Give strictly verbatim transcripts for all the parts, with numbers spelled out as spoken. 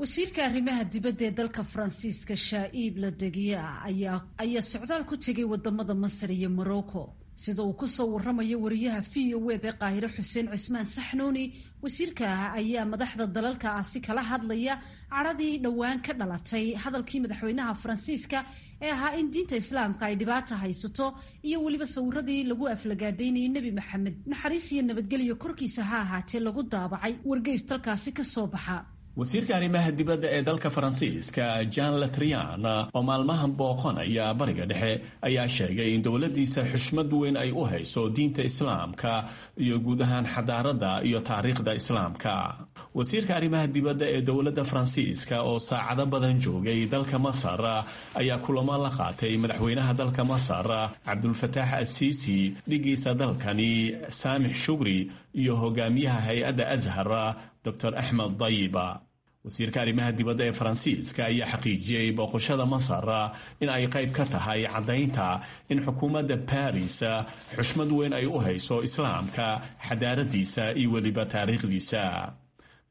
Wasiirka arrimaha dibadda ee dalka Faransiiska, Shaa'iib Ladegiya, ayaa ayaa socdaal ku tegay wadamada Masar iyo Morocco. Sida uu kusoo waramayo wariyaha V O eda Qaahire, Xuseen Cismaan Saxnuuni, wasiirka ayaa madaxda dalalkaasi kala hadlaya cadhadii dhowaan ka dhalatay hadalkii madaxweynaha Faransiiska ee ahaa in diinta Islaamka ay dhibaata haysato, iyo weliba sawiradii lagu aflagaadaynayay Nebi Maxamed, naxariis iyo nabadgelyo korkiisa ha ahaatee, lagu daabacay wargeys dalkaasi ka soo baxa. Wasiirka arrimaha dibadda ee dalka Faransiiska, Jean Letrian, oo maalmahan booqanaya Bariga Dhexe, ayaa sheegay in dowladdiisa xushmad weyn ay u hayso diinta Islaamka iyo guud ahaan xadaaradda iyo taariikhda Islaamka. Wasiirka arrimaha dibadda ee dowladda Faransiiska oo saacado badan joogay dalka Masar ayaa kulamo la qaatay madaxweynaha dalka Masar, Cabdulfataax Asiisi, dhigiisa dalkani Saamix Shugri iyo hogaamiyaha hay-adda Ashar, Doctor Axmed Dayiba. Wasiirka arrimaha dibadda ee Faransiiska ayaa xaqiijiyey booqashada Masar in ay qayb ka tahay caddaynta in xukuumadda Baris xushmad weyn ay u hayso Islaamka, xadaaradiisa iyo weliba taariikhdiisa.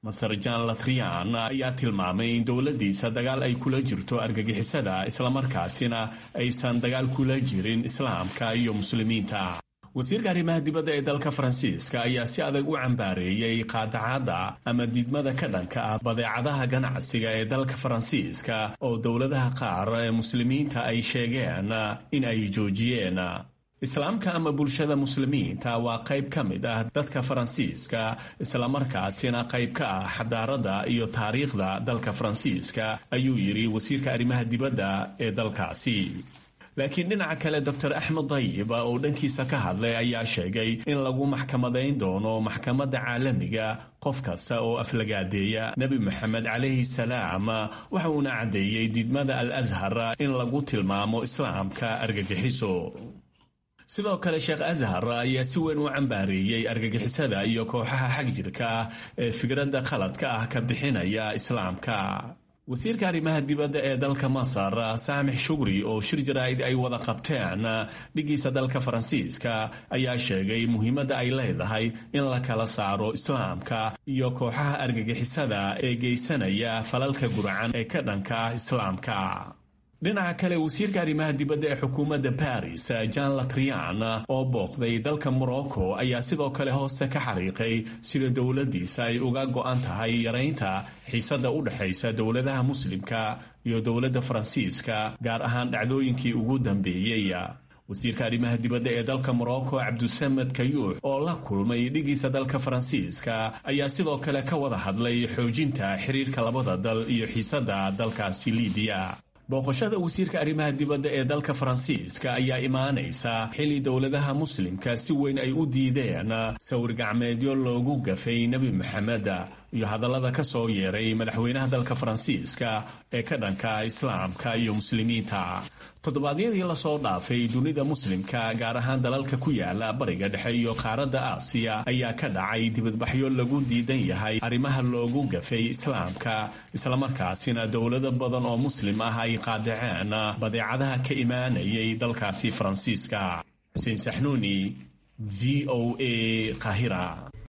Masar Jan Latrian ayaa tilmaamay in dowladdiisa dagaal ay kula jirto argagixisada, islamarkaasina aysan dagaal kula jirin Islaamka iyo Muslimiinta. Wasiirka arrimaha dibadda ee dalka Faransiiska ayaa si adag u cambaareeyey qaadacadda ama diidmada ka dhanka ah badeecadaha ganacsiga ee dalka Faransiiska oo dowladaha qaar ee Muslimiinta ay sheegeen in ay joojiyeen. Islaamka ama bulshada Muslimiinta waa qayb ka mid ah dadka Faransiiska, islamarkaasina qayb ka ah xadaaradda iyo taariikhda dalka Faransiiska, ayuu yidhi wasiirka arrimaha dibadda ee dalkaasi. Laakiin dhinaca kale, Doctor Axmed Dayib oo dhankiisa ka hadlay ayaa sheegay in lagu maxkamadayn doono maxkamadda caalamiga qof kasta oo aflagaadeeya Nebi Maxamed calayhi salaam. Waxa uuna caddeeyey diidmada Al Ashar in lagu tilmaamo Islaamka argagixiso. Sidoo kale, Sheekh Ashar ayaa si weyn u cambaareeyey argagixisada iyo kooxaha xagjirka ah ee fikradda qaladka ah ka bixinaya Islaamka. Wasiirka arrimaha dibadda ee dalka Masar, Saamix Shugri, oo shir jaraa'id ay wada qabteen dhigiisa dalka Faransiiska ayaa sheegay muhiimadda ay leedahay in la kala saaro Islaamka iyo kooxaha argagixisada ee geysanaya falalka gurcan ee ka dhanka ah Islaamka. Dhinaca kale, wasiirka arrimaha dibadda ee xukuumadda Baris, Jean Latrian, oo booqday dalka Morocco ayaa sidoo kale hoose ka xariiqay sida dowladdiisa ay uga go'an tahay yaraynta xiisadda u dhexaysa dowladaha Muslimka iyo dowladda Faransiiska, gaar ahaan dhacdooyinkii ugu dambeeyey. Wasiirka arrimaha dibadda ee dalka Morocco, Cabdusamed Kayuux, oo la kulmay dhigiisa dalka Faransiiska ayaa sidoo kale ka wada hadlay xoojinta xiriirka labada dal iyo xiisadda dalkaasi Libiya. Booqashada wasiirka arrimaha dibadda ee dalka Faransiiska ayaa imaanaysa xilli dowladaha Muslimka si weyn ay u diideen sawir gacmeedyo loogu gafay Nebi Maxamed iyo hadallada ka soo yeeray madaxweynaha dalka Faransiiska ee ka dhanka Islaamka iyo Muslimiinta. Toddobaadyadii lasoo dhaafay, dunida Muslimka, gaar ahaan dalalka ku yaala Bariga Dhexe iyo qaaradda Aasiya, ayaa ka dhacay dibadbaxyo lagu diidan yahay arrimaha loogu gafay Islaamka, islamarkaasina dowlado badan oo Muslim ah ay qaadaceen badeecadaha ka imaanayay dalkaasi Faransiiska. Xuseen Saxnuuni, V O A, Qaahira.